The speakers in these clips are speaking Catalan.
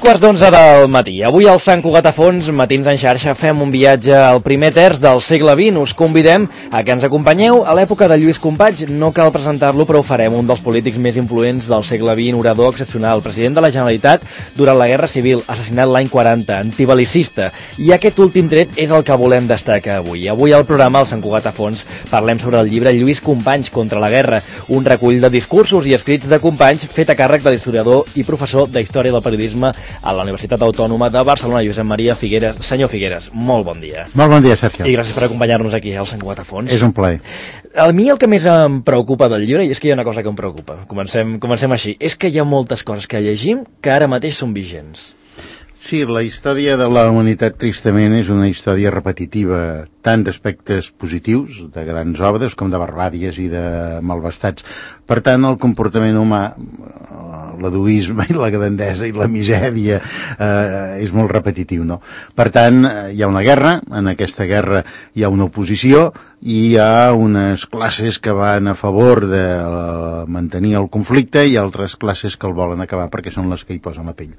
2:15 del matí. Avui al Sant Cugat a Fons, Matins en xarxa, fem un viatge al primer terç del segle XX. Us convidem a que ens acompanyeu a l'època de Lluís Companys. No cal presentar-lo, però ho farem. Un dels polítics més influents del segle XX, orador excepcional, president de la Generalitat durant la Guerra Civil, assassinat l'any 40, antibelicista. I aquest últim tret és el que volem destacar avui. Avui al programa, al Sant Cugat a Fons, parlem sobre el llibre Lluís Companys contra la guerra, un recull de discursos i escrits de Companys fet a càrrec de l'historiador i professor d'Història del Periodisme a la Universitat Autònoma de Barcelona, Josep Maria Figueres. Senyor Figueres, molt bon dia. Molt bon dia, Sergio. I gràcies per acompanyar-nos aquí al Sant Cugat a Fons. És un plaer. A mi el que més em preocupa del llibre, i és que hi ha una cosa que em preocupa, comencem així, és que hi ha moltes coses que llegim que ara mateix són vigents. Sí, la història de la humanitat, tristament, és una història repetitiva, tant d'aspectes positius, de grans obres, com de barbàries i de malvestats. Per tant, el comportament humà, l'egoisme i la grandesa i la misèria és molt repetitiu, no? Per tant, hi ha una guerra, en aquesta guerra hi ha una oposició i hi ha unes classes que van a favor de mantenir el conflicte i altres classes que el volen acabar perquè són les que hi posen la pell.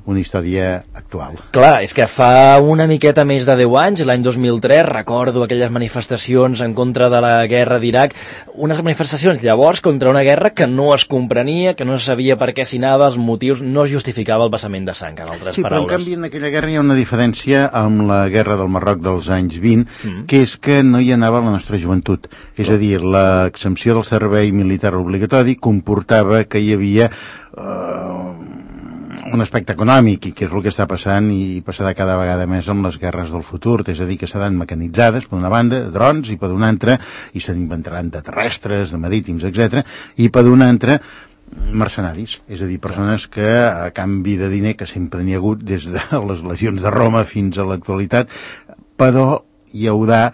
Una història actual. Clar, és que fa una miqueta més de 10 anys, l'any 2003, recordo aquelles manifestacions en contra de la guerra d'Iraq, unes manifestacions llavors contra una guerra que no es comprenia, que no se sabia per què s'hi anava, els motius, no es justificava el vessament de sang, en altres paraules. Però en canvi en aquella guerra hi ha una diferència amb la guerra del Marroc dels anys 20, que és que no hi anava la nostra joventut. És a dir, l'exempció del servei militar obligatori comportava que hi havia un aspecte econòmic, i que és el que està passant i passarà cada vegada més amb les guerres del futur, és a dir, que seran mecanitzades per una banda, drons, i per una altra, i se n'inventaran de terrestres, de marítims, etc. I per una altra, mercenaris, és a dir, persones que a canvi de diner, que sempre n'hi ha hagut des de les legions de Roma fins a l'actualitat, però hi haurà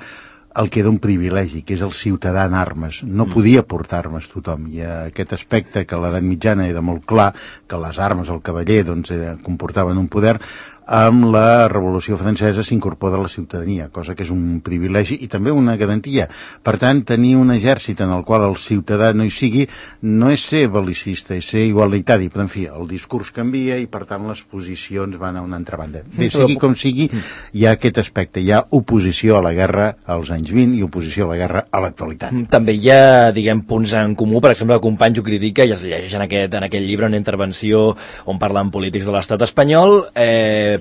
el que era un privilegi, que és el ciutadà en armes. No podia portar armes tothom, i aquest aspecte que a l'edat mitjana era molt clar, que les armes, el cavaller, doncs, comportaven un poder, amb la Revolució Francesa s'incorpora a la ciutadania, cosa que és un privilegi i també una garantia. Per tant, tenir un exèrcit en el qual el ciutadà no hi sigui no és ser belicista, és ser igualitari, però en fi, el discurs canvia i per tant les posicions van a una altra banda. Bé, sigui com sigui, hi ha aquest aspecte, hi ha oposició a la guerra als anys 20 i oposició a la guerra a l'actualitat. També hi ha, diguem, punts en comú, per exemple, el Companys ho critica i es llegeix en aquest llibre una intervenció on parlen polítics de l'estat espanyol,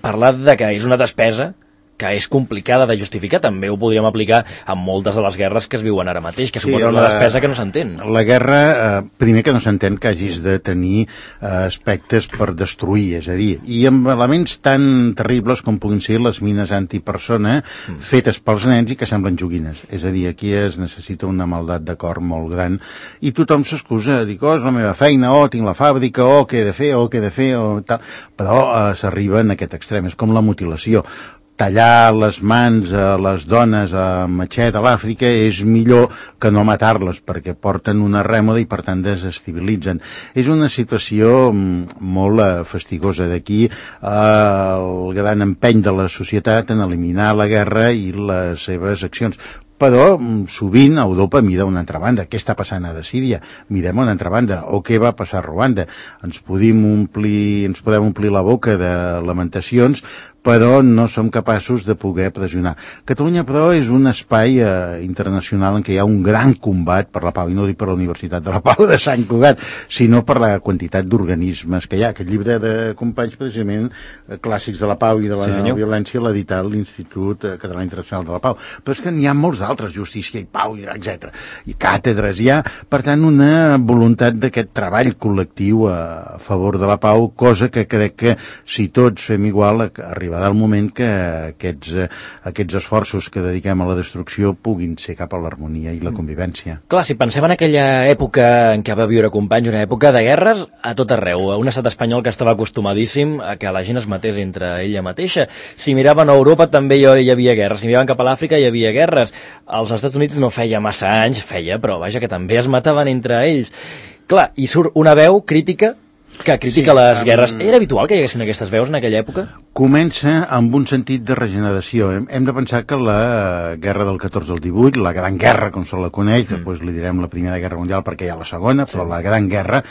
parlar de que és una despesa que és complicada de justificar. També ho podríem aplicar a moltes de les guerres que es viuen ara mateix, que suposen una despesa que no s'entén. La guerra, primer que no s'entén que hagis de tenir aspectes per destruir, és a dir, i amb elements tan terribles com puguin ser les mines antipersona fetes pels nens i que semblen joguines. És a dir, aquí es necessita una maldat de cor molt gran i tothom s'excusa, dic, és la meva feina, tinc la fàbrica, què he de fer, tal, però s'arriba en aquest extrem, és com la mutilació. Tallar les mans a les dones a matxet a l'Àfrica és millor que no matar-les, perquè porten una rèmora i per tant desestabilitzen. És una situació molt fastigosa. D'aquí el gran empeny de la societat en eliminar la guerra i les seves accions. Però sovint Europa mira a una altra banda. Què està passant a Síria? Mirem a una altra banda. O què va passar a Ruanda? Ens podem omplir la boca de lamentacions, però no som capaços de poder pressionar. Catalunya, però, és un espai internacional en què hi ha un gran combat per la pau, i no dic per la Universitat de la Pau de Sant Cugat, sinó per la quantitat d'organismes que hi ha. Aquest llibre de Companys, precisament, clàssics de la pau i de la violència, l'ha editat l'Institut Català Internacional de la Pau. Però és que n'hi ha molts altres, justícia i pau, etc. I càtedres, hi ha, per tant, una voluntat d'aquest treball col·lectiu a favor de la pau, cosa que crec que si tots fem igual, arribarà el moment que aquests esforços que dediquem a la destrucció puguin ser cap a l'harmonia i la convivència. Clar, si pensem en aquella època en què va viure Companys, una època de guerres a tot arreu, un estat espanyol que estava acostumadíssim a que la gent es matés entre ella mateixa. Si miraven a Europa també hi havia guerres, si miraven cap a l'Àfrica hi havia guerres. Als Estats Units no feia massa anys, però vaja, que també es mataven entre ells. Clar, i surt una veu crítica que critica les guerres. Era habitual que hi haguessin aquestes veus en aquella època? comença amb un sentit de regeneració. Hem de pensar que la guerra del 14 al 18, la Gran Guerra, com se la coneix, després li direm la Primera Guerra Mundial perquè hi ha la Segona, però la Gran Guerra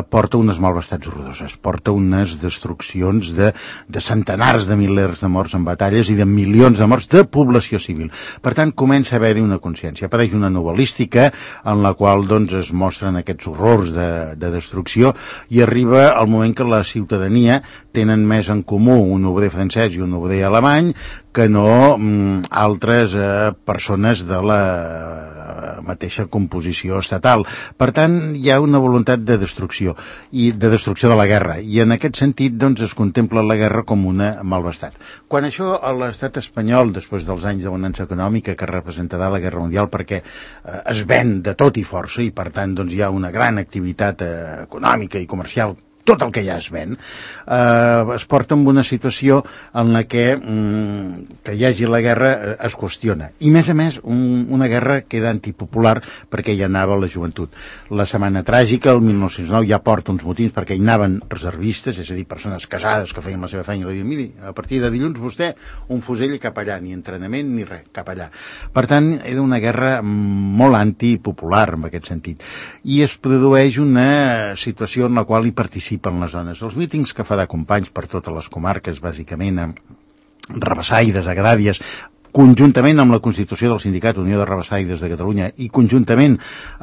porta unes malvestats horroroses, porta unes destruccions de centenars de milers de morts en batalles i de milions de morts de població civil. Per tant, comença a haver-hi una consciència. Apareix una novel·lística en la qual doncs, es mostren aquests horrors de destrucció i arriba el moment que la ciutadania tenen més en comú un obrer francès i un obrer alemany que no altres persones de la mateixa composició estatal. Per tant, hi ha una voluntat de destrucció i de destrucció de la guerra, i en aquest sentit doncs, es contempla la guerra com una malvestat. Quan això a l'estat espanyol, després dels anys de bonança econòmica que representarà la Guerra Mundial, perquè es ven de tot i força i per tant doncs, hi ha una gran activitat econòmica i comercial, tot el que ja es ven, es porta en una situació en la que hi hagi la guerra es qüestiona. I, més a més, una guerra queda antipopular perquè hi anava la joventut. La Setmana Tràgica, el 1909, ja porta uns motins perquè hi anaven reservistes, és a dir, persones casades que feien la seva feina i li diuen, miri, a partir de dilluns vostè un fusell cap allà, ni entrenament ni res, cap allà. Per tant, era una guerra molt antipopular en aquest sentit. I es produeix una situació en la qual hi participen les dones. Els mítings que fa de companys per totes les comarques, bàsicament Rabasaides, Agràdies, conjuntament amb la constitució del Sindicat Unió de Rabasaides de Catalunya i conjuntament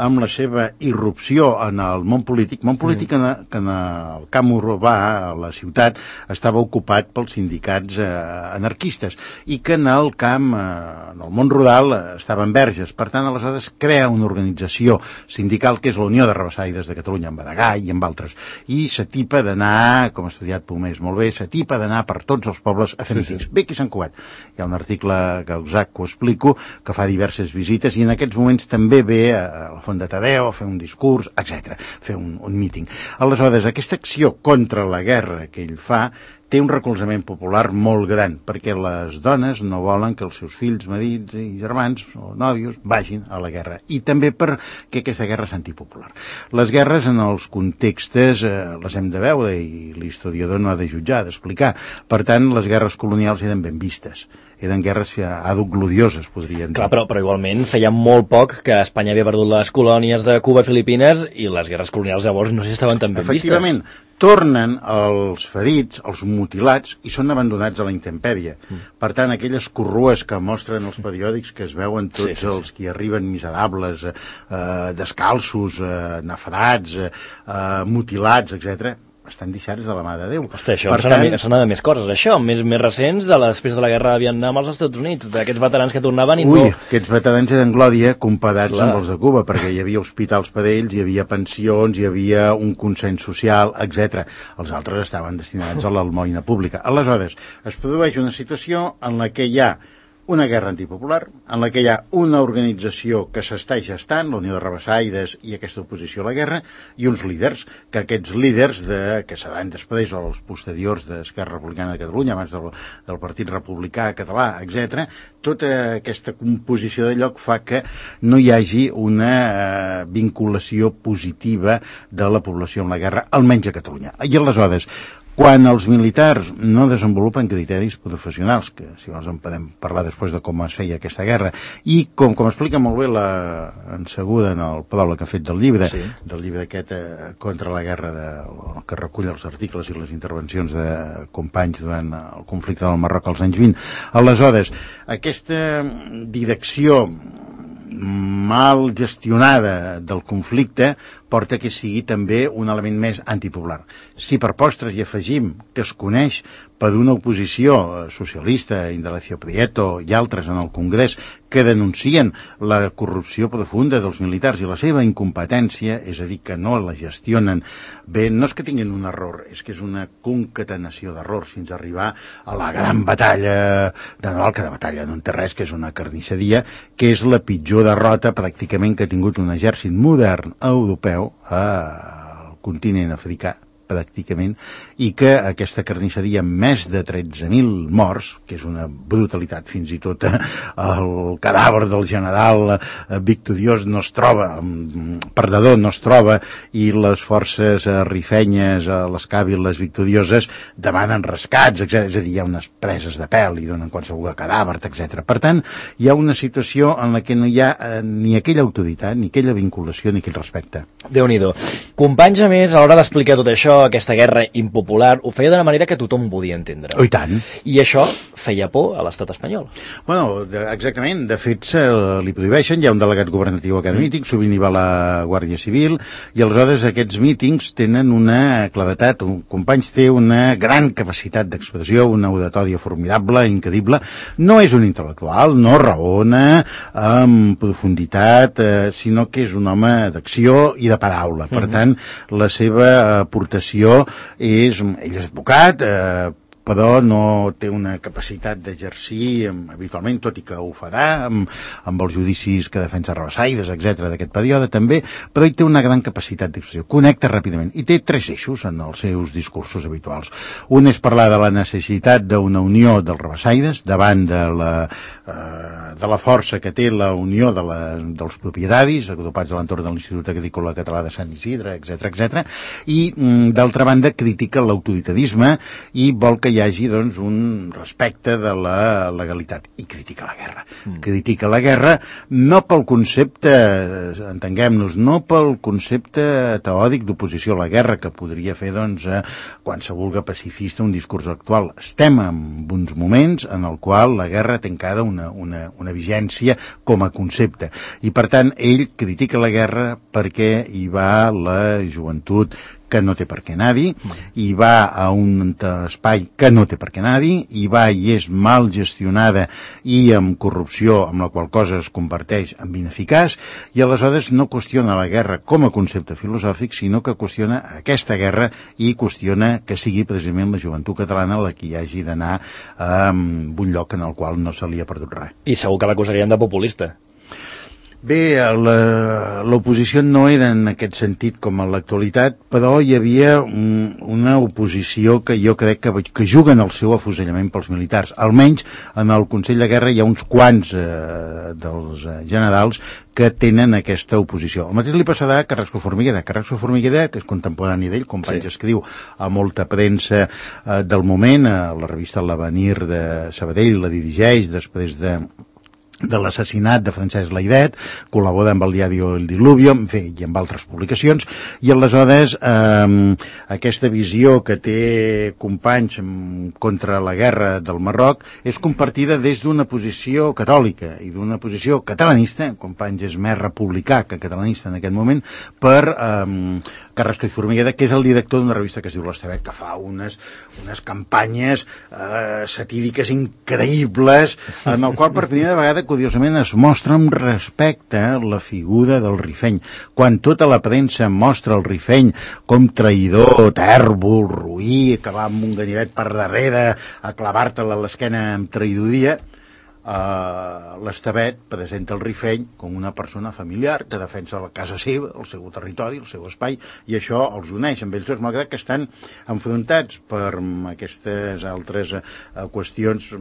amb la seva irrupció en el món polític que en el camp urbà, a la ciutat, estava ocupat pels sindicats anarquistes i que en el camp, en el món rural, estaven verges. Per tant, aleshores crea una organització sindical que és la Unió de Rabasaides de Catalunya, amb Badagà i amb altres, i s'atipa d'anar, com ha estudiat Pomés molt bé, s'atipa d'anar per tots els pobles a fer mítings. Bé, aquí a Sant Cugat. Hi ha un article que exacte ho explico, que fa diverses visites i en aquests moments també ve a la Font de Tadeo a fer un discurs, etc., fer un míting. Aleshores, aquesta acció contra la guerra que ell fa té un recolzament popular molt gran, perquè les dones no volen que els seus fills, marits i germans o nòvios vagin a la guerra, i també perquè aquesta guerra és antipopular. Les guerres en els contextes les hem de veure i l'historiador no ha de jutjar, d'explicar. Per tant, les guerres colonials eren ben vistes. Eren guerres glorioses, podríem dir. Clar, però igualment feia molt poc que Espanya havia perdut les colònies de Cuba i Filipines i les guerres colonials llavors no sé si estaven tan ben vistes. Efectivament, tornen els ferits, els mutilats, i són abandonats a la intempèrie. Per tant, aquelles corrues que mostren els periòdics que es veuen tots els que arriben miserables, descalços, nafrats, mutilats, etc., estan deixats de la mà de Déu. Hosti, això sona de més coses, això, més recents de després de la guerra de Vietnam als Estats Units, d'aquests veterans que tornaven i aquests veterans eren glòria comparats amb els de Cuba, perquè hi havia hospitals per a ells, hi havia pensions, hi havia un consens social, etc. Els altres estaven destinats a l'almoina pública. Aleshores, es produeix una situació en la que hi ha una guerra antipopular, en la que hi ha una organització que s'està gestant, la Unió de Rabasaides i aquesta oposició a la guerra, i uns líders, que aquests líders que seran després o els posteriors d'Esquerra Republicana de Catalunya, abans del Partit Republicà Català, etc., tota aquesta composició de lloc fa que no hi hagi una vinculació positiva de la població amb la guerra, almenys a Catalunya. I aleshores, quan els militars no desenvolupen criteris professionals, que si vols en podem parlar després de com es feia aquesta guerra, i com explica molt bé en Segura en el pròleg que ha fet del llibre aquest contra la guerra, que recull els articles i les intervencions de companys durant el conflicte del Marroc als anys 20. Aleshores, aquesta direcció mal gestionada del conflicte porta que sigui també un element més antipopular. Si per postres hi afegim que es coneix per una oposició socialista, Indalecio Prieto i altres en el Congrés, que denuncien la corrupció profunda dels militars i la seva incompetència, és a dir, que no la gestionen bé, no és que tinguin un error, és que és una concatenació d'errors fins a arribar a la gran batalla de Naval, que de batalla no en té res, que és una carnisseria, que és la pitjor derrota pràcticament que ha tingut un exèrcit modern europeu al continent africà pràcticament, i que aquesta carnisseria amb més de 13.000 morts, que és una brutalitat, fins i tot el cadàver del general victoriós no es troba, perdedor no es troba, i les forces rifenyes, les càviles victorioses, demanen rescats, etc. És a dir, hi ha unes preses de pèl i donen qualsevol cadàver, etc. Per tant, hi ha una situació en la que no hi ha ni aquella autoritat, ni aquella vinculació, ni aquell respecte. Déu-n'hi-do. Companys, a més, a l'hora d'explicar tot això, aquesta guerra impopular, ho feia d'una manera que tothom podia entendre. Oh, i tant. I això feia por a l'estat espanyol. Bueno, exactament. De fet, li prohibeixen, hi ha un delegat governatiu a cada míting, sovint hi va la Guàrdia Civil, i aleshores aquests mítings tenen una claredat, Companys té una gran capacitat d'expressió, una oratòria formidable, increïble. No és un intel·lectual, no raona amb profunditat, sinó que és un home d'acció i de paraula. Per tant, la seva aportació és... Ell és advocat, però no té una capacitat d'exercir habitualment, tot i que ho farà amb els judicis que defensa Rabasaides, etc. d'aquest període també, però ell té una gran capacitat d'expressió, connecta ràpidament i té 3 eixos en els seus discursos habituals. Un és parlar de la necessitat d'una unió dels Rabasaides davant de la força que té la unió dels propietaris agrupats a l'entorn de l'Institut Agrícola Català de Sant Isidre, etc. I d'altra banda critica l'autoritarisme i vol que hi hagi, doncs, un respecte de la legalitat. I critica la guerra. Critica la guerra no pel concepte, entenguem-nos, no pel concepte teòric d'oposició a la guerra, que podria fer, doncs, qualsevol pacifista un discurs actual. Estem en uns moments en el qual la guerra té encara una vigència com a concepte. I, per tant, ell critica la guerra perquè hi va la joventut que no té per què anar-hi, i va a un espai que no té per què anar-hi, i va i és mal gestionada i amb corrupció, amb la qual cosa es converteix en ineficaç, i aleshores no qüestiona la guerra com a concepte filosòfic, sinó que qüestiona aquesta guerra i qüestiona que sigui precisament la joventut catalana la que hi hagi d'anar a un lloc en el qual no se li ha perdut res. I segur que l'acusarien de populista. Bé, l'oposició no era en aquest sentit com en l'actualitat, però hi havia una oposició que jo crec que juguen el seu afusellament pels militars. Almenys en el Consell de Guerra hi ha uns quants dels generals que tenen aquesta oposició. El mateix li passarà a Carrasco Formiguera. Carrasco Formiguera, que és contemporani d'ell, Companys escriu a molta premsa del moment, a la revista L'Avenir de Sabadell, la dirigeix després de l'assassinat de Francesc Layret, col·labora amb el diari El Diluvio, en fi, i amb altres publicacions, i aleshores aquesta visió que té Companys contra la guerra del Marroc és compartida des d'una posició catòlica i d'una posició catalanista. Companys és més republicà que catalanista en aquest moment, per Carrasco i Formiguera, que és el director d'una revista que es diu L'Estevet, que fa unes campanyes satíriques increïbles, en el qual per primera vegada curiosament es mostra amb respecte la figura del Rifeny. Quan tota la premsa mostra el Rifeny com traïdor, tèrbol, roí, que va amb un ganivet per darrere a clavar-te-la a l'esquena amb traïdoria, l'Estevet presenta el Rifeny com una persona familiar que defensa la casa seva, el seu territori, el seu espai, i això els uneix amb ells dos, malgrat que estan enfrontats per aquestes altres qüestions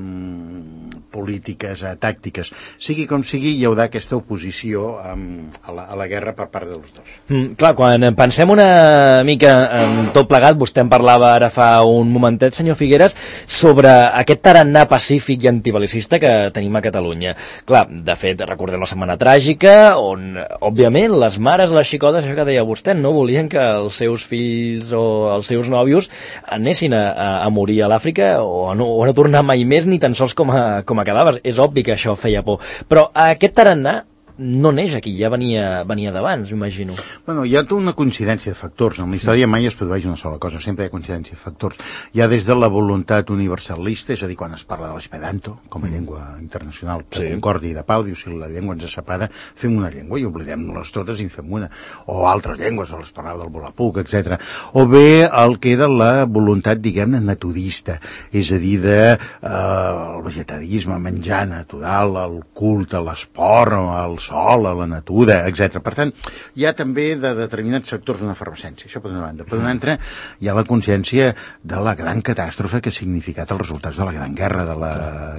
polítiques, tàctiques. Sigui com sigui, hi haurà aquesta oposició a la guerra per part dels dos. Clar, quan pensem una mica en tot plegat, vostè en parlava ara fa un momentet, senyor Figueres, sobre aquest tarannà pacífic i antibelicista que tenim a Catalunya. Clar, de fet, recordem la Setmana Tràgica, on, òbviament, les mares, les xicotes, això que deia vostè, no volien que els seus fills o els seus nòvios anessin a morir a l'Àfrica o a no tornar mai més, ni tan sols com a cadàvers. És obvi que això feia por. Però aquest tarannà no neix aquí, ja venia d'abans, imagino. Bueno, hi ha tota una coincidència de factors. En la història mai es produeix una sola cosa, sempre hi ha coincidència de factors. Hi ha des de la voluntat universalista, és a dir, quan es parla de l'esperanto, com a llengua internacional de concòrdia i de pau, diu, si la llengua ens separa, fem una llengua i oblidem-les totes i en fem una. O altres llengües, les parlava del Volapuc, etc. O bé el que era la voluntat, diguem-ne, naturista, és a dir, el vegetarisme, menjar natural, el culte, l'esport, els sol, a la natura, etc. Per tant, hi ha també de determinats sectors una efervescència, això per una banda. Per una altra, hi ha la consciència de la gran catàstrofe que ha significat els resultats de la Gran Guerra, de la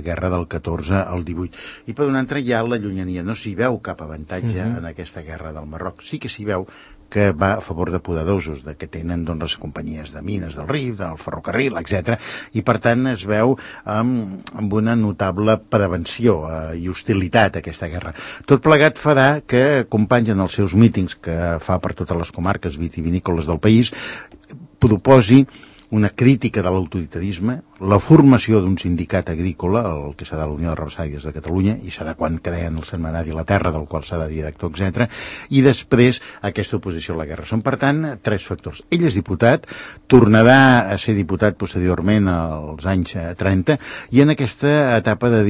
guerra del 14 al 18. I per una altra, hi ha la llunyania. No s'hi veu cap avantatge en aquesta guerra del Marroc. Sí que s'hi veu que va a favor de poderosos, de que tenen doncs, les companyies de mines del Rif, del ferrocarril, etc. I per tant es veu amb una notable prevenció i hostilitat a aquesta guerra. Tot plegat farà que companys en els seus mítings que fa per totes les comarques vitivinícoles del país proposi una crítica de l'autoritarisme, la formació d'un sindicat agrícola, el que serà la Unió de Rabassaires de Catalunya, i serà quan creien el setmanari La Terra, del qual serà director, etc. I després aquesta oposició a la guerra. Són, per tant, 3 factors. Ell és diputat, tornarà a ser diputat posteriorment als anys 30, i en aquesta etapa de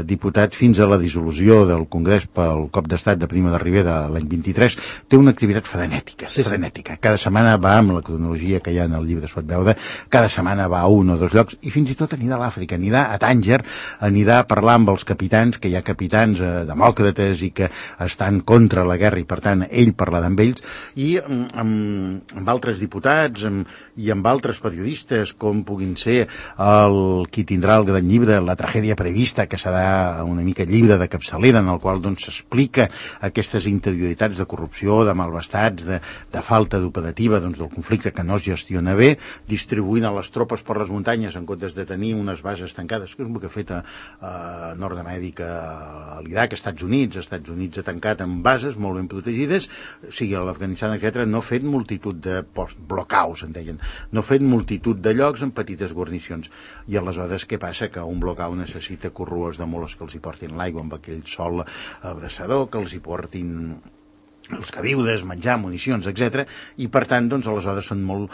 diputat fins a la dissolució del Congrés pel cop d'estat de Primo de Rivera l'any 23, té una activitat frenètica. Frenètica. Cada setmana va, amb la cronologia que hi ha en el llibre es pot veure, cada setmana va a un o dos llocs, i fins i tot anirà a l'Àfrica, anirà a Tànger, anirà a parlar amb els capitans, que hi ha capitans demòcrates i que estan contra la guerra, i per tant ell parlarà amb ells, i amb altres diputats i amb altres periodistes, com puguin ser qui tindrà el gran llibre La tragèdia prevista, que serà una mica llibre de capçalera, en el qual doncs s'explica aquestes interioritats de corrupció, de malvestats, de falta d'operativa doncs, del conflicte que no es gestiona bé, distribuint a les tropes per les muntanyes en comptes de tenir unes bases tancades, que és el que ha fet a Nord-Amèrica, a l'Iraq, als Estats Units ha tancat amb bases molt ben protegides, sigui a l'Afganistan, etc. No ha fet multitud de blockouts, en deien, no ha fet multitud de llocs en petites guarnicions. I aleshores què passa? Que un blockout necessita corrues de moles que els hi portin l'aigua amb aquell sol abraçador, que els hi portin els queviures, menjar, municions, etc. I per tant, doncs, aleshores són molt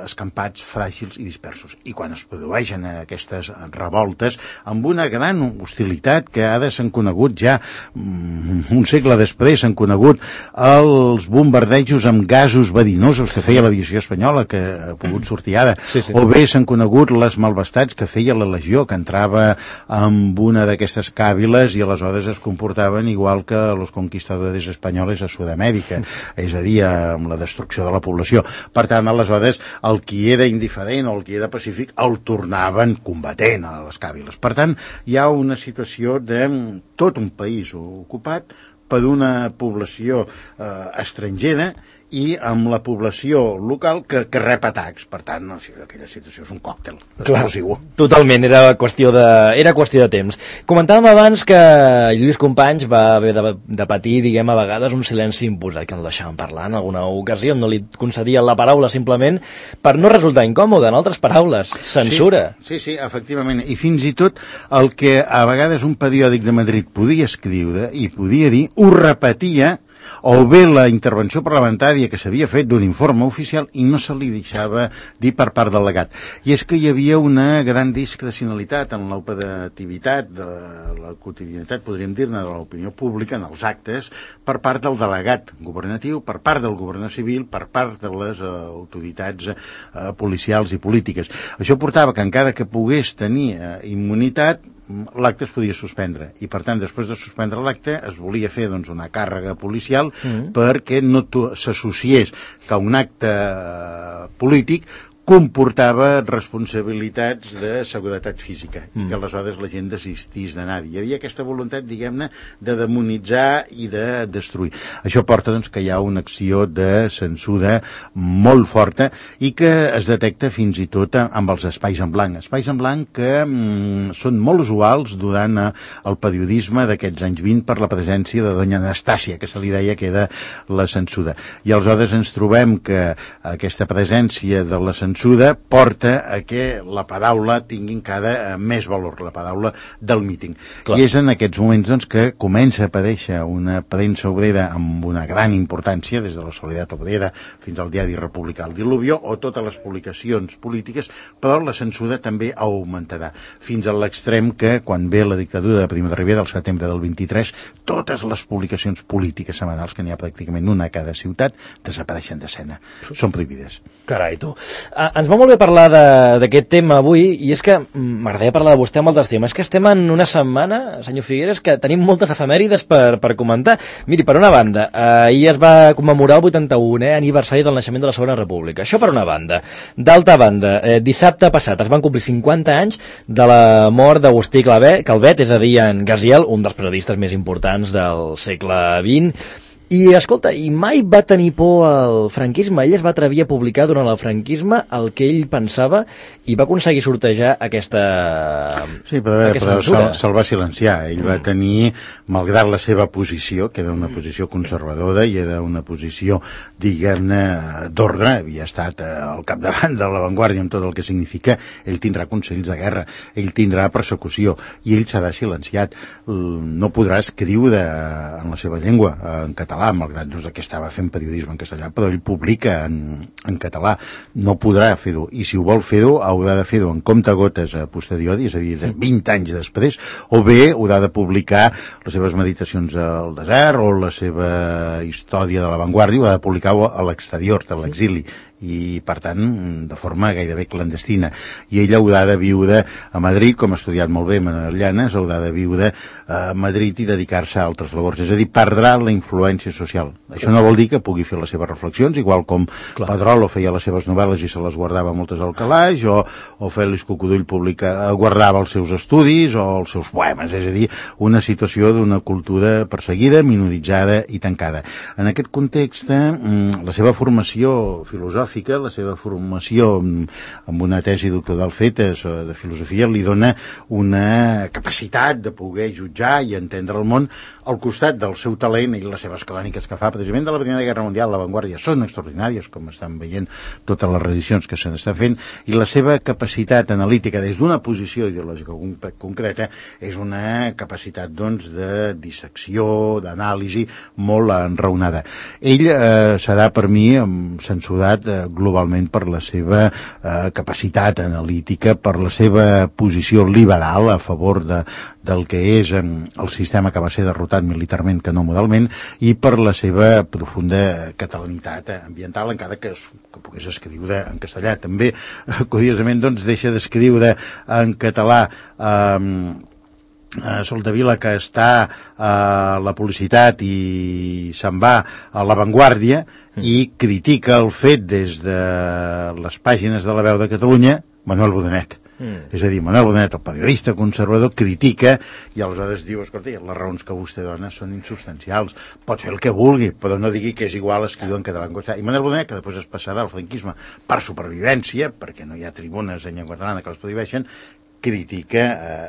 escampats, fràgils i dispersos. I quan es produeixen aquestes revoltes, amb una gran hostilitat que ara s'han conegut ja, un segle després, s'han conegut els bombardejos amb gasos verinosos que feia l'aviació espanyola, que ha pogut sortir ara, o bé s'han conegut les malvestats que feia la Legió, que entrava amb una d'aquestes càviles i aleshores es comportaven igual que els conquistadors espanyols a Sud-amèrica, és a dir, amb la destrucció de la població. Per tant, aleshores, el qui era indiferent o el qui era pacífic el tornaven combatent a les càviles. Per tant, hi ha una situació de tot un país ocupat per una població estrangera i amb la població local que rep atacs. Per tant, aquella situació és un còctel explosiu. Totalment, era qüestió de temps. Comentàvem abans que Lluís Companys va haver de patir, diguem, a vegades un silenci imposat, que no el deixaven parlar en alguna ocasió, no li concedien la paraula simplement per no resultar incòmode, en altres paraules, censura. Sí, efectivament, i fins i tot el que a vegades un periòdic de Madrid podia escriure i podia dir, ho repetia, o bé la intervenció parlamentària que s'havia fet d'un informe oficial i no se li deixava dir per part del legat. I és que hi havia una gran discrecionalitat en l'operativitat de la quotidianitat, podríem dir-ne, de l'opinió pública, en els actes, per part del delegat governatiu, per part del governador civil, per part de les autoritats policials i polítiques. Això portava que encara que pogués tenir immunitat, l'acte es podia suspendre, i per tant després de suspendre l'acte es volia fer doncs, una càrrega policial perquè no s'associés que un acte polític comportava responsabilitats de seguretat física i que aleshores la gent desistís d'anar-hi. Hi havia aquesta voluntat, diguem-ne, de demonitzar i de destruir. Això porta doncs, que hi ha una acció de censura molt forta i que es detecta fins i tot amb els espais en blanc. Espais en blanc que són molt usuals durant el periodisme d'aquests anys 20 per la presència de doña Anastàcia, que se li deia que era la censura. I aleshores ens trobem que aquesta presència de la censura porta a que la paraula tingui encara més valor, la paraula del míting. Clar. I és en aquests moments doncs, que comença a aparèixer una premsa obrera amb una gran importància, des de la Solidaritat Obrera fins al diari republicà El Diluvio, o totes les publicacions polítiques, però la censura també augmentarà, fins a l'extrem que, quan ve la dictadura de Primo de Rivera, al setembre del 23, totes les publicacions polítiques setmanals, que n'hi ha pràcticament una a cada ciutat, desapareixen d'escena. Són prohibides. Carai, tu. Ens va molt bé parlar d'aquest tema avui, i és que m'agradaria parlar de vostè amb altres temes. És que estem en una setmana, senyor Figueres, que tenim moltes efemèrides per comentar. Miri, per una banda, ahir es va commemorar el 81è aniversari del naixement de la Segona República. Això per una banda. D'altra banda, dissabte passat es van complir 50 anys de la mort d'Agustí Calvet, és a dir, en Gaziel, un dels periodistes més importants del segle XX. I, escolta, i mai va tenir por al franquisme. Ell es va atrevir a publicar durant el franquisme el que ell pensava i va aconseguir sortejar aquesta Sí, però se'l va silenciar. Ell va tenir, malgrat la seva posició, que era una posició conservadora i era una posició, diguem-ne, d'ordre, havia estat al capdavant de l'avantguàrdia amb tot el que significa, ell tindrà consells de guerra, ell tindrà persecució, i ell serà silenciat. No podrà escriure en la seva llengua, en català, malgrat que estava fent periodisme en castellà, però ell publica en català. No podrà fer-ho, i si ho vol fer-ho, haurà de fer-ho en comptagotes a posteriori, és a dir, de 20 anys després, o bé haurà de publicar les seves meditacions al desert o la seva història de l'avantguàrdia, ho ha de publicar a l'exterior, a l'exili, i per tant de forma gairebé clandestina, i ella haurà de viure a Madrid, com ha estudiat molt bé Manuel Llanes, haurà de viure a Madrid i dedicar-se a altres labors, és a dir, perdrà la influència social. Això no vol dir que pugui fer les seves reflexions, igual com Pedrolo feia les seves novel·les i se les guardava moltes al calaix, o Fèlix Cocudull guardava els seus estudis o els seus poemes, és a dir, una situació d'una cultura perseguida, minoritzada i tancada. En aquest context, la seva formació filosòfica, la seva formació amb una tesi doctoral feta de filosofia li dona una capacitat de poder jutjar i entendre el món al costat del seu talent i les seves cròniques que fa precisament de la Primera Guerra Mundial. L'avantguàrdia són extraordinàries, com estan veient totes les reedicions que se n'estan fent, i la seva capacitat analítica des d'una posició ideològica concreta és una capacitat, doncs, de dissecció, d'anàlisi molt enraonada. Ell serà per mi censurat globalment per la seva capacitat analítica, per la seva posició liberal a favor del que és el sistema que va ser derrotat militarment que no moralment, i per la seva profunda catalanitat ambiental, encara que pogués escriure en castellà. També, curiosament, doncs, deixa d'escriure en català Soldevila, que està a la publicitat, i se'n va a l'avantguàrdia i critica el fet des de les pàgines de La Veu de Catalunya, Manuel Bodanet. És a dir, Manuel Bodanet, el periodista conservador, critica i aleshores diu, escolta, les raons que vostè dona són insubstancials, pot fer el que vulgui, però no digui que és igual escriure en català en castellà. I Manuel Bodanet, que després es passarà al franquisme per supervivència, perquè no hi ha tribunes en llengua catalana que les prohibeixen, critica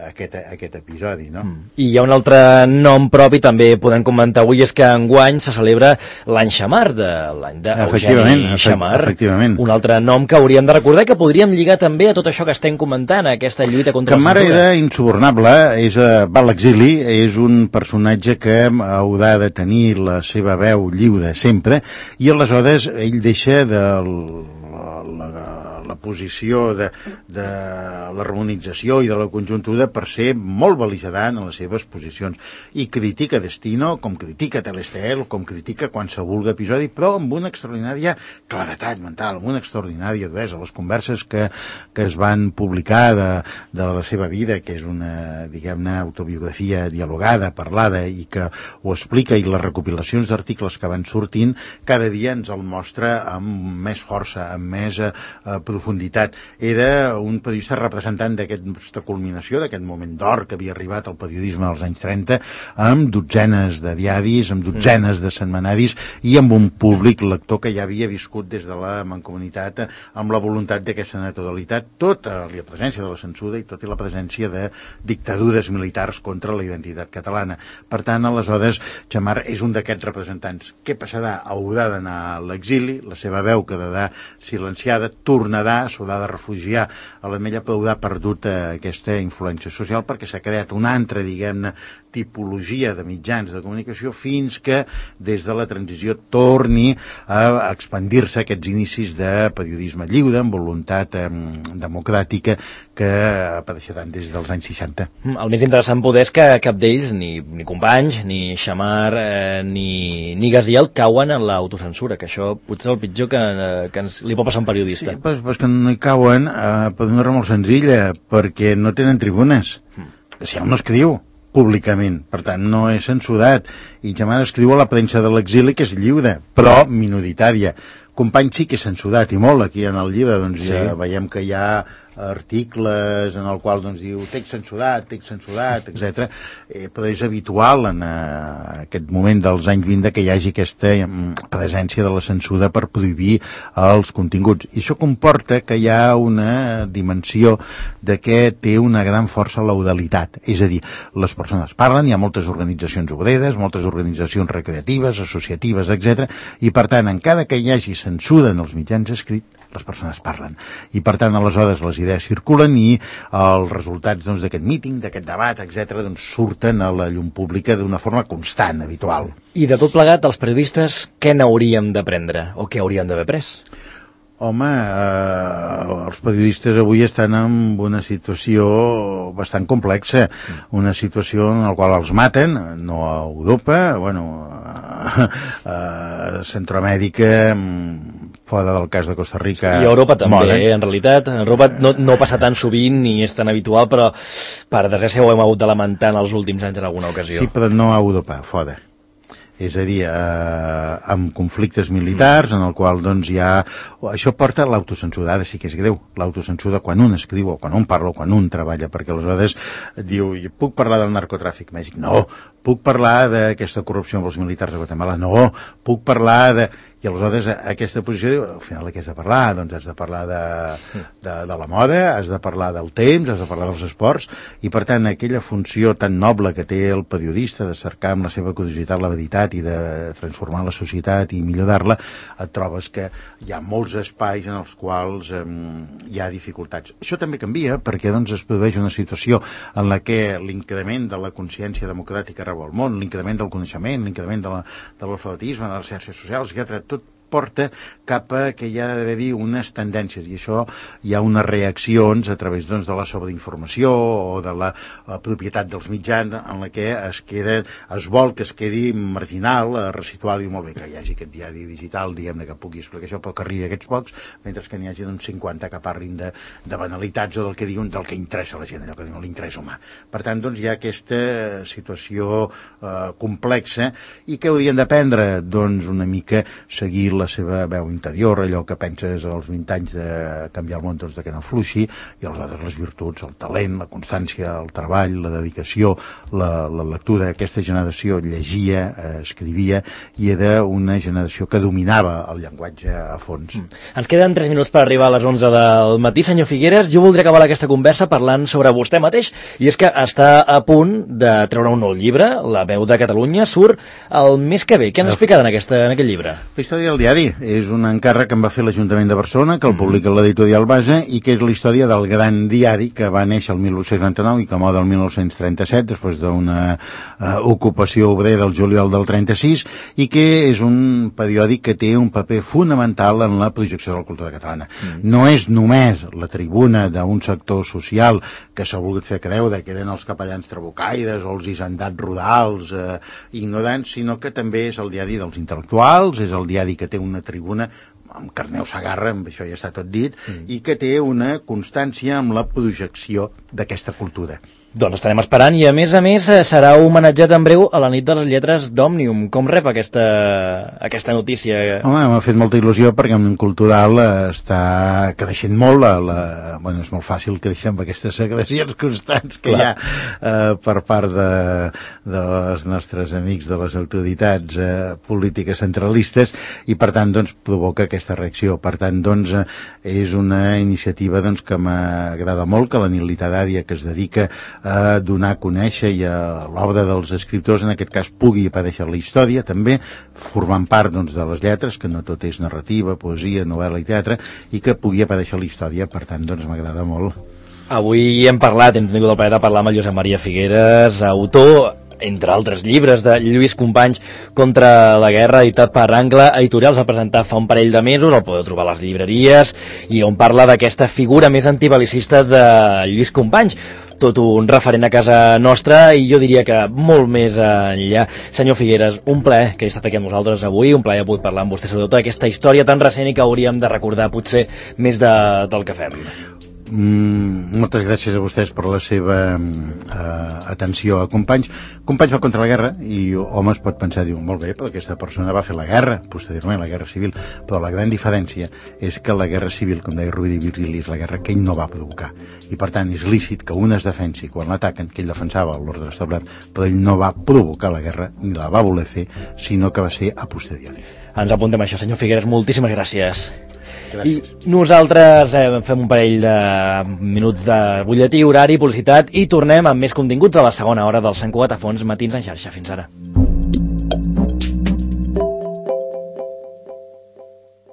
aquest episodi, no? I hi ha un altre nom propi, també podem comentar avui, és que enguany se celebra l'any Xamar, de l'any d'Eugeni Xamar. Efectivament. Un altre nom que hauríem de recordar, que podríem lligar també a tot això que estem comentant, a aquesta lluita contra la censura. Xamar era insubornable, va a l'exili, és un personatge que haurà de tenir la seva veu lliure sempre, i aleshores ell deixa la posició de l'harmonització i de la conjuntura per ser molt bel·ligerant en les seves posicions, i critica Destino, com critica Telestel, com critica qualsevol episodi, però amb una extraordinària claretat mental, amb una extraordinària duresa. Les converses que es van publicar de la seva vida, que és una, diguem-ne, autobiografia dialogada, parlada, i que ho explica, i les recopilacions d'articles que van sortint, cada dia ens el mostra amb més força, amb més profunditat. Era un periodista representant d'aquesta culminació, d'aquest moment d'or que havia arribat al periodisme als anys 30, amb dotzenes de diaris, amb dotzenes de setmanaris, i amb un públic lector que ja havia viscut des de la mancomunitat amb la voluntat d'aquesta naturalitat, tota la presència de la censura i tota la presència de dictadures militars contra la identitat catalana. Per tant, aleshores, Xamar és un d'aquests representants. Què passarà? Haurà d'anar a l'exili, la seva veu quedarà silenciada, tornarà s'ho ha de refugiar a l'Ametlla, però ha perdut aquesta influència social perquè s'ha creat una altra, diguem-ne, tipologia de mitjans de comunicació fins que des de la transició torni a expandir-se aquests inicis de periodisme lliure amb voluntat democràtica que apareixia tant des dels anys 60. El més interessant poder és que cap d'ells, ni Companys, ni Xamar, ni Gaziel, cauen en l'autocensura, que això potser és el pitjor que li pot passar a un periodista. Sí, però que no hi cauen per una raó molt senzilla, perquè no tenen tribunes. Si hom no escriu públicament, per tant no és censurat, i Xamar escriu a la premsa de l'exili, que és lliure, però minoritària. Company sí que és censurat, i molt, aquí en el llibre, doncs sí. Ja veiem que hi ha articles en el qual doncs, diu text censurat, etc. Però és habitual en aquest moment dels anys 20 que hi hagi aquesta presència de la censura per prohibir els continguts. I això comporta que hi ha una dimensió de que té una gran força l'oralitat. És a dir, les persones parlen, hi ha moltes organitzacions obreres, moltes organitzacions recreatives, associatives, etc. I per tant, encara que hi hagi censura en els mitjans escrits, les persones parlen. I per tant, aleshores, les idees circulen i els resultats d'aquest míting, d'aquest debat, etc., surten a la llum pública d'una forma constant, habitual. I de tot plegat, els periodistes, què n'hauríem d'aprendre? O què hauríem d'haver après? Home, els periodistes avui estan en una situació bastant complexa, una situació en la qual els maten, no a Europa, a Centroamèrica, fora del cas de Costa Rica. I a Europa també, en realitat. En Europa no passa tan sovint ni és tan habitual, però per desgràcia ho hem hagut de lamentar en els últims anys en alguna ocasió. Sí, però no a Europa, fora. És a dir, amb conflictes militars en el qual hi ha... Això porta a l'autocensura, sí que és greu, l'autocensura quan un escriu o quan un parla o quan un treballa, perquè aleshores diu, puc parlar del narcotràfic a Mèxic? No. Puc parlar d'aquesta corrupció amb els militars de Guatemala? No. Puc parlar de... I aleshores aquesta posició diu, al final de què has de parlar? Doncs has de parlar de la moda, has de parlar del temps, has de parlar dels esports, i per tant aquella funció tan noble que té el periodista de cercar amb la seva curiositat la veritat i de transformar la societat i millorar-la, et trobes que hi ha molts espais en els quals hi ha dificultats. Això també canvia perquè es produeix una situació en la que l'increment de la consciència democràtica arreu al món, l'increment del coneixement, l'increment de l'alfabetisme, de les xarxes socials, etc., tot porta cap a que hi ha d'haver unes tendències, i això hi ha unes reaccions a través de la sobreinformació o de la propietat dels mitjans en la que es vol que es quedi marginal, residual, i molt bé que hi hagi aquest diari digital, diguem-ne, que pugui explicar això, però que arribi a aquests pocs, mentre que n'hi hagi 50 que parlin de banalitats o del que diuen, del que interessa a la gent, allò que diuen l'interès humà. Per tant, hi ha aquesta situació complexa, i què haurien d'aprendre? Doncs una mica seguir la seva veu interior, allò que penses als 20 anys de canviar el món, de que no fluixi, i aleshores les virtuts, el talent, la constància, el treball, la dedicació, la lectura. Aquesta generació llegia, escrivia, i era una generació que dominava el llenguatge a fons. Ens queden 3 minuts per arribar a les 11 del matí, senyor Figueres. Jo voldria acabar aquesta conversa parlant sobre vostè mateix, i és que està a punt de treure un nou llibre, La veu de Catalunya, surt el mes que ve. Què ens explicarà en aquest llibre? La història del diari és un encàrrec que em va fer l'Ajuntament de Barcelona, que el publica l'editorial Base, i que és la història del gran diari que va néixer el 1899 i que mor el 1937, després d'una ocupació obrera del juliol del 36, i que és un periòdic que té un paper fonamental en la projecció de la cultura catalana. No és només la tribuna d'un sector social que s'ha volgut fer creure que eren els capellans trabucaires o els hisendats rurals ignorants, sinó que també és el diari dels intel·lectuals, és el diari que té una tribuna amb Carneu Segarra, amb això ja està tot dit, i que té una constància amb la projecció d'aquesta cultura. Doncs estarem esperant, i a més serà homenatjat en breu a la nit de les lletres d'Òmnium. Com rep aquesta notícia? Home, m'ha fet molta il·lusió perquè en cultural està creixent molt. Bueno, és molt fàcil créixer amb aquestes agressions constants que hi ha per part dels nostres amics de les autoritats polítiques centralistes, i per tant provoca aquesta aquesta reacció. Per tant, doncs, és una iniciativa doncs, que m'agrada molt, que la nit literària que es dedica a donar a conèixer i a l'obra dels escriptors, en aquest cas, pugui aparèixer la història, també, formant part doncs, de les lletres, que no tot és narrativa, poesia, novel·la i teatre, i que pugui aparèixer la història. Per tant, doncs, m'agrada molt. Avui hem tingut el plaer de parlar amb el Josep Maria Figueres, autor, entre altres llibres, de Lluís Companys contra la guerra, editat per Angle Editorials. Va presentar fa un parell de mesos, el podeu trobar a les llibreries, i on parla d'aquesta figura més antibelicista de Lluís Companys, tot un referent a casa nostra, i jo diria que molt més enllà. Senyor Figueres, un plaer que hagi estat aquí amb nosaltres avui, un plaer poder parlar amb vostè sobre tota aquesta història tan recent i que hauríem de recordar potser més del que fem. Moltes gràcies a vostès per la seva atenció a Companys. Companys va contra la guerra i home es pot pensar, diu, molt bé, però aquesta persona va fer la guerra, posteriorment la guerra civil, però la gran diferència és que la guerra civil, com deia Rovira i Virgili, és la guerra que ell no va provocar, i per tant és lícit que un es defensi quan l'ataquen, que ell defensava l'ordre establert, però ell no va provocar la guerra ni la va voler fer, sinó que va ser a posteriori. Ens apuntem a això, senyor Figueres, moltíssimes gràcies. Gràcies. I nosaltres fem un parell de minuts de butlletí, horari, publicitat, i tornem amb més continguts a la segona hora del Sant Cugat a Fons Matins en xarxa. Fins ara.